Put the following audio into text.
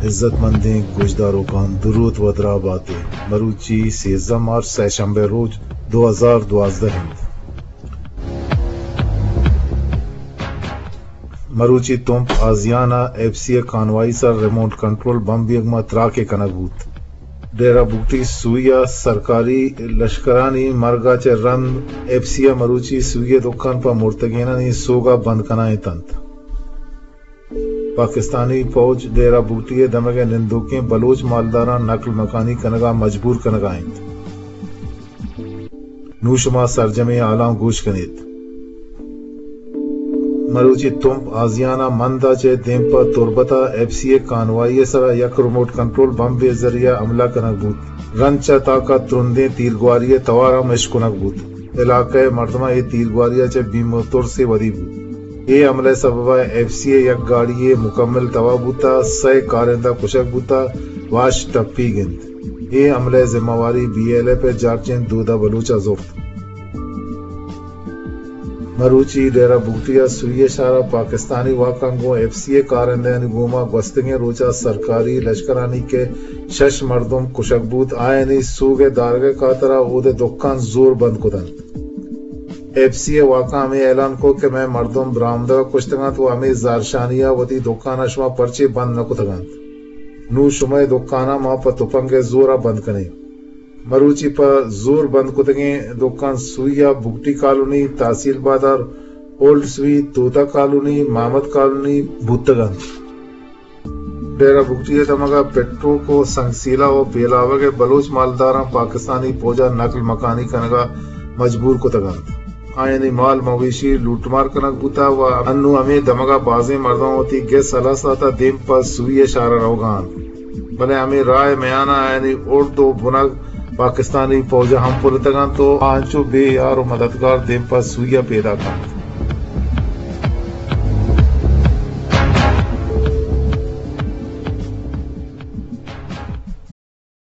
عزت مندیں گوشداروکاں، دروت ودرا باتے۔ مروچی سیزدہ مارچ، سئے شمبے روچ، دو ہزار دوازدہ انت۔ مروچی تمپ آزیان ءَ ایف سی ءِ کانوائی سر ریموٹ کنٹرول بمب بیگ ما تراکے کنگ بوت۔ ڈیرہ بگٹی سوئی ءَ سرکاری لشکرانی مرگ ءَ چہ رند ایف سی ءَ مروچی سوئی ءِ دکان پہ مرتگینانی سوگا بند کنائینت انت۔ پاکستانی پوج ڈیرہ بگٹی ءِ دمگ ءِ نندوکیں بلوچ مالداراں نقل مکانی کنگ ءَ مجبور کنگ ءَ انت۔ نوں شما سرجمیں حالاں گوش کنیت۔ مروچی تمپ آزیان ءَ مند ءَ چہ دیم پہ تربت ءَ ایف سی ءِ کانوائی ءِ سرا یک ریموٹ کنٹرول بمبے ذریعہ حملہ کنگ بوت۔ رند چہ تاک ءَ ترندیں تیرگواری ءِ توار ہم اشکنگ بوت۔ علاقہ ءِ مردماں اے تیرگواری ءَ چہ بیم ءُ ترسے ودی بوت۔ اے حملہ ءِ سبب ءَ ایف سی ءِ یک گاڑی یے مکمل تباہ بوت ءُ سئے کارندہ کشگ بوت ءُ واش ٹپیگ انت۔ اے حملہ ءِ ذمہ واری بی ایل ایف ءِ جارچین دودا بلوچ ءَ زرت۔ مروچی ڈیرہ بگٹی ءَ سوئی ءِ شہر ءَ پاکستانی واکاں گوں ایف سی ءِ کارندہانی گوما گوستگیں روچ ءَ سرکاری لشکرانی کہ شش مردم کشگ بوت، آیانی سوگ ءِ دارگ ءِ کاتر ءَ اود ءِ دکان زور بند کت انت۔ ایف سی ءِ واکاں ہمے اعلان کت کہ مئے مردم برآمدگ ءَ کشتگ انت ءُ ہمے زہرشانی ءَ وتی دکاناں شما پرچے بند نہ کتگ انت؟ نوں شمئے دکاناں ما پہ تپنگ ءِ زور ءَ بند کنیں۔ مروچی پہ زور بند کتگیں دکان سوئی ءَ بگٹی کالونی، تحصیل بازار، اولڈ سوئی، توتا کالونی، محمد کالونی بوتگ انت۔ ڈیرہ بگٹی ءِ دمگ ءَ پٹروک ءُ سنگسیلا ءُ بیلاوگ ءِ بلوچ مالداراں پاکستانی پوج ءَ نقل مکانی کنگ ءَ مجبور کتگ انت۔ آیانی مال مویشی لوٹمار کنگ بوتگ ءُ انوں ہمے دمگ ءَ بازیں مردماں وتی گس ہلاس داتگ ءُ دیم پہ سوئی ءِ شہر ءَ روگ ءَ انت، بلے ہمے راہ ءِ میان ءَ آیانی اڑد ءُ بنگ پاکستانی پوج ءَ ہم پلتگ انت ءُ آ انچو بے یار ءُ مددگار دیم پہ سوئی ءَ پیداک انت۔